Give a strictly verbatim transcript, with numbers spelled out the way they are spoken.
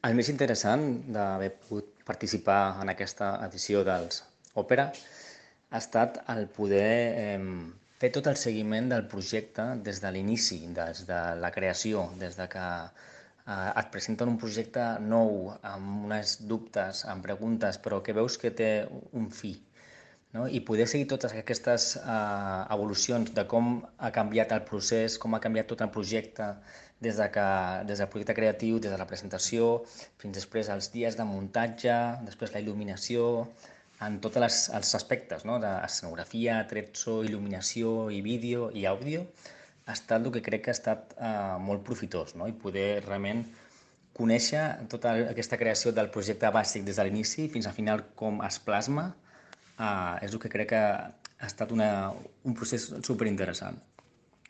El més interessant d'haver pogut participar en aquesta edició dels Òpera ha estat el poder eh, fer tot el seguiment del projecte des de l'inici, des de la creació, des de que eh, et presenten un projecte nou, amb uns dubtes, amb preguntes, però que veus que té un fi, no? I poder seguir totes aquestes eh, evolucions de com ha canviat el procés, com ha canviat tot el projecte, des, de que, des del projecte creatiu, des de la presentació, fins després els dies de muntatge, després la il·luminació, en tots les, els aspectes, no? D'escenografia, tretzo, il·luminació i vídeo i àudio, ha estat el que crec que ha estat eh, molt profitós, no? I poder realment conèixer tota aquesta creació del projecte bàsic des de l'inici fins al final com es plasma, uh, és el que crec que ha estat una, un procés superinteressant.